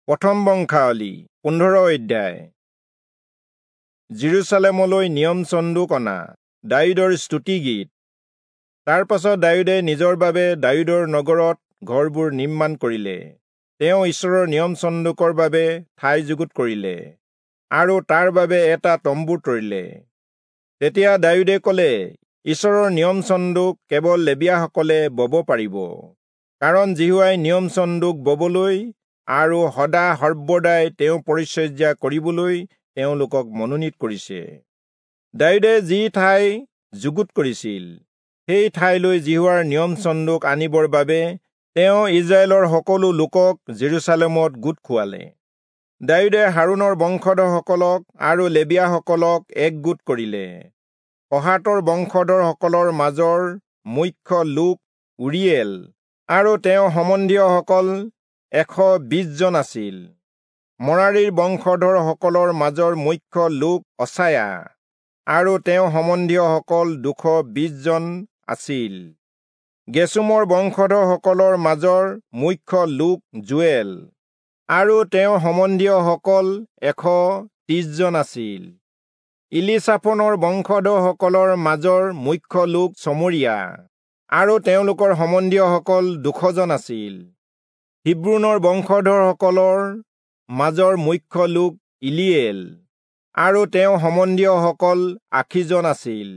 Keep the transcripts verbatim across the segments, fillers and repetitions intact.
প্ৰথম বংশাৱলী পোন্ধৰ অধ্যায়। যিৰূচালেমলৈ নিয়ম চন্দুক অনা দায়ূদৰ স্তুতিগীত। তাৰ পাছত দায়ূদে নিজৰ বাবে দায়ূদৰ নগৰত ঘৰবোৰ নিৰ্মাণ কৰিলে। তেওঁ ঈশ্বৰৰ নিয়ম চন্দুকৰ বাবে ঠাই যুগুত কৰিলে আৰু তাৰ বাবে এটা তম্বু তৰিলে। তেতিয়া দায়ূদে কলে, ঈশ্বৰৰ নিয়ম চন্দুক কেৱল লেবীয়াসকলে বব পাৰিব, কাৰণ যিহোৱাই নিয়ম চন্দুক ববলৈ আৰু সদা সৰ্বদাই তেওঁ পৰিচৰ্যা কৰিবলৈ তেওঁলোকক মনোনীত কৰিছে। দায়ূদে যি ঠাই যুগুত কৰিছিল সেই ঠাইলৈ যিহোৱাৰ নিয়ম চন্দুক আনিবৰ বাবে তেওঁ ইজৰাইলৰ সকলো লোকক যিৰূচালেমত গোট খুৱালে। দায়ূদে হাৰোণৰ বংশধৰসকলক আৰু লেবীয়াসকলক একগোট কৰিলে। কহাতৰ বংশধৰসকলৰ মাজৰ মুখ্য লোক উৰিয়েল আৰু তেওঁ সম্বন্ধীয়সকল এশ বিশজন আছিল। মৰাৰীৰ বংশধৰসকলৰ মাজৰ মুখ্য লোক অচায়া আৰু তেওঁ সম্বন্ধীয়সকল দুশ বিশজন আছিল। গেচোমৰ বংশধৰসকলৰ মাজৰ মুখ্য লোক যোৱেল আৰু তেওঁ সম্বন্ধীয়সকল এশ ত্ৰিশজন আছিল। ইলিচাফনৰ বংশধৰসকলৰ মাজৰ মুখ্য লোক চমৰীয়া আৰু তেওঁলোকৰ সম্বন্ধীয়সকল দুশজন আছিল। হিব্ৰোনৰ বংশধৰসকলৰ মাজৰ মুখ্য লোক ইলিয়েল আৰু তেওঁ সম্বন্ধীয়সকল আশীজন আছিল।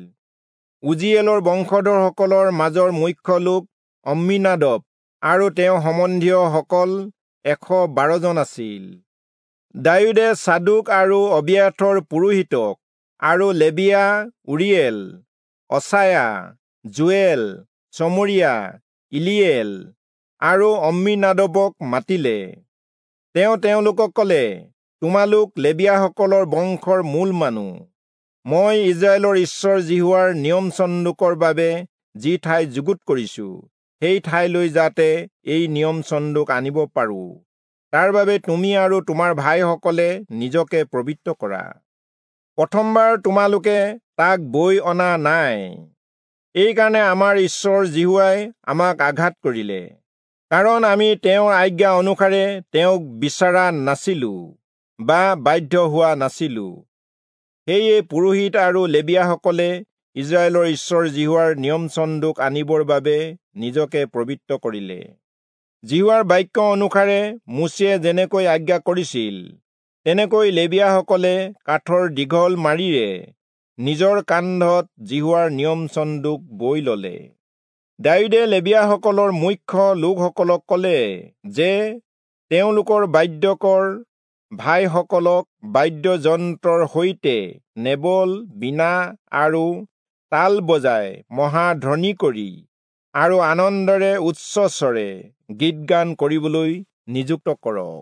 উজিয়েলৰ বংশধৰসকলৰ মাজৰ মুখ্য লোক অম্মীনাদব আৰু তেওঁ সম্বন্ধীয়সকল এশ বাৰজন আছিল। দায়ূদে চাদোক আৰু অবিয়াথৰ পুৰোহিতক আৰু লেবীয়া উৰিয়েল, অচায়া, যোৱেল, চমৰীয়া, ইলিয়েল আৰু অম্মীনাদবক মাতিলে। তেওঁ তেওঁলোকক কলে, তোমালোক লেবীয়াসকলৰ বংশৰ মূল মানুহ। মই ইজৰাইলৰ ঈশ্বৰ যিহোৱাৰ নিয়ম চন্দুকৰ বাবে যি ঠাই যুগুত কৰিছো, সেই ঠাইলৈ যাতে এই নিয়ম চন্দুক আনিব পাৰো, তাৰ বাবে তুমি আৰু তোমাৰ ভাইসকলে নিজকে পবিত্ৰ কৰা। প্ৰথমবাৰ তোমালোকে তাক বৈ অনা নাই, এইকাৰণে আমাৰ ঈশ্বৰ যিহোৱাই আমাক আঘাত কৰিলে, কাৰণ আমি তেওঁৰ আজ্ঞা অনুসাৰে তেওঁক বিচৰা নাছিলো বা বাধ্য হোৱা নাছিলো। সেয়ে পুৰোহিত আৰু লেবীয়াসকলে ইজৰাইলৰ ঈশ্বৰ যিহোৱাৰ নিয়ম চন্দুক আনিবৰ বাবে নিজকে পবিত্ৰ কৰিলে। যিহোৱাৰ বাক্য অনুসাৰে মোচিয়ে যেনেকৈ আজ্ঞা কৰিছিল, তেনেকৈ লেবীয়াসকলে কাঠৰ দীঘল মাৰিৰে নিজৰ কান্ধত যিহোৱাৰ নিয়ম চন্দুক বৈ ললে। দায়ূদে লেবীয়াসকলৰ মুখ্য লোকসকলক কলে যে তেওঁলোকৰ বাদ্যকৰ ভাইসকলক বাদ্যযন্ত্ৰৰ সৈতে নেবল, বীণা আৰু তাল বজাই মহাধ্বনি কৰি আৰু আনন্দেৰে উচ্চস্বৰে গীত গান কৰিবলৈ নিযুক্ত কৰক।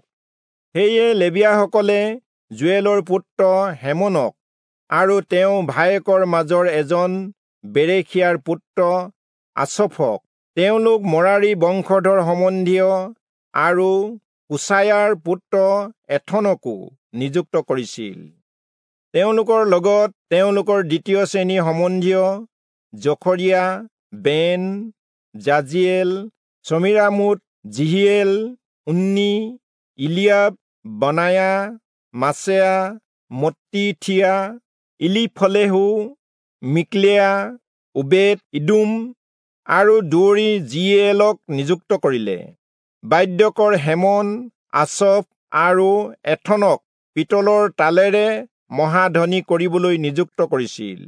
সেয়ে লেবীয়াসকলে যোৱেলৰ পুত্ৰ হেমনক আৰু তেওঁ ভায়েকৰ মাজৰ এজন বেৰেখিয়াৰ পুত্ৰ আচফক, তেওঁলোক মৰাৰী বংশধৰ সম্বন্ধীয়, আৰু কুচায়াৰ পুত্ৰ এথনকো নিযুক্ত কৰিছিল। তেওঁলোকৰ লগত তেওঁলোকৰ দ্বিতীয় শ্ৰেণী সম্বন্ধীয় জখৰিয়া, বেন, জাজিয়েল, চমীৰামোত, জিহিয়েল, উন্নি, ইলিয়াব, বনায়া, মাছেয়া, মত্তিথিয়া, ইলিফলেহু, মিক্লেয়া, ওবেদ ইদোম আৰু দুৱৰী জিয়েলক নিযুক্ত কৰিলে। বাদ্যকৰ হেমন, আচফ আৰু এথনক পিতলৰ তালেৰে মহাধ্বনি কৰিবলৈ নিযুক্ত কৰিছিল।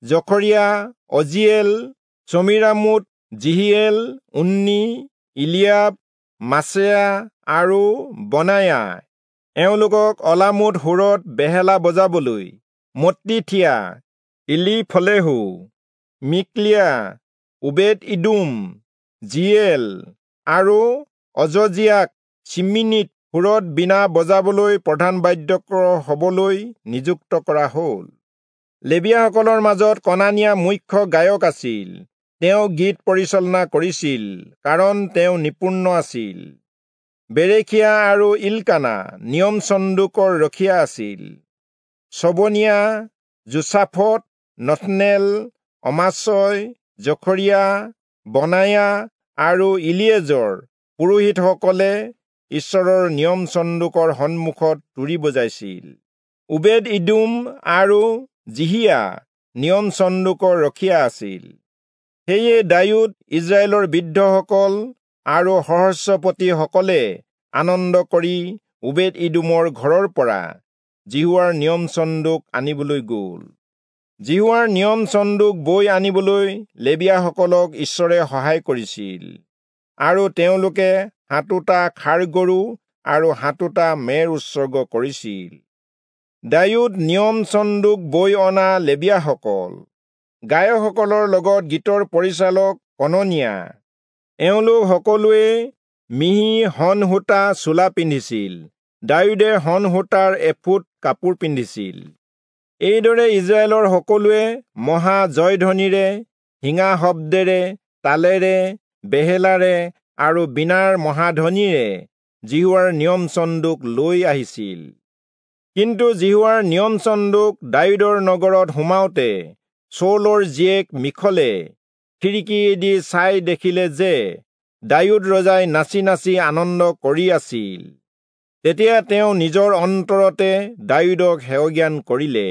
জখৰিয়া, অজিয়েল, চমীৰামোত, জিহিয়েল, উন্নি, ইলিয়াব, মাছেয়া আৰু বনায়া এওঁলোকক অলামুট সুৰত বেহেলা বজাবলৈ, মত্তিথিয়া, ইলিফলেহু, মিক্লিয়া, ওবেদ ইদোম, জিয়েল আৰু অজজিয়াক চিমিনিত সুৰত বীণা বজাবলৈ প্ৰধান বাদ্যকৰ হবলৈ নিযুক্ত কৰা হ'ল। লেবীয়াসকলৰ মাজত কনানিয়া মুখ্য গায়ক আছিল। তেওঁ গীত পৰিচালনা কৰিছিল, কাৰণ তেওঁ নিপুণ আছিল। বেৰেখিয়া আৰু ইলকানা নিয়ম চন্দুকৰ ৰখীয়া আছিল। চবনিয়া, যোচাফট, নথনেল, অমাচয়, জখৰিয়া, বনায়া আৰু ইলিয়েজৰ পুৰোহিতসকলে ঈশ্বৰৰ নিয়ম চন্দুকৰ সন্মুখত তুৰী বজাইছিল। ওবেদ ইদোম আৰু জিহিয়া নিয়ম চন্দুকৰ ৰখীয়া আছিল। সেয়ে দায়ূদ, ইস্ৰায়েলৰ বৃদ্ধসকল আৰু সহস্ৰপতিসকলে আনন্দ কৰি ওবেদ ইদোমৰ ঘৰৰ পৰা যিহোৱাৰ নিয়ম চন্দুক আনিবলৈ গ'ল। যিহোৱাৰ নিয়ম চন্দুক বৈ আনিবলৈ লেবীয়াসকলক ঈশ্বৰে সহায় কৰিছিল, আৰু তেওঁলোকে সাতোটা ষাঁড় গৰু আৰু সাতোটা মেৰ উৎসৰ্গ কৰিছিল। দায়ূদ নিয়ম চন্দুক বৈ অনা লেবীয়াসকল, গায়কসকলৰ লগত গীতৰ পৰিচালক কননিয়া, এওঁলোক সকলোৱে মিহি শণ সূতা চোলা পিন্ধিছিল। দায়ূদে শণ সূতাৰ এফুট কাপোৰ পিন্ধিছিল। এইদৰে ইস্ৰায়েলৰ সকলোৱে মহা জয়ধ্বনিৰে, শিঙা শব্দেৰে, তালেৰে, বেহেলাৰে আৰু বীণাৰ মহাধ্বনিৰে যিহোৱাৰ নিয়ম চন্দুক লৈ আহিছিল। কিন্তু যিহোৱাৰ নিয়ম চন্দুক দায়ূদৰ নগৰত সোমাওঁতে চৌলৰ জীয়েক মিখলে খিৰিকীয়েদি চাই দেখিলে যে দায়ূদ ৰজাই নাচি নাচি আনন্দ কৰি আছিল। তেতিয়া তেওঁ নিজৰ অন্তৰতে দায়ূদক হেয়জ্ঞান কৰিলে।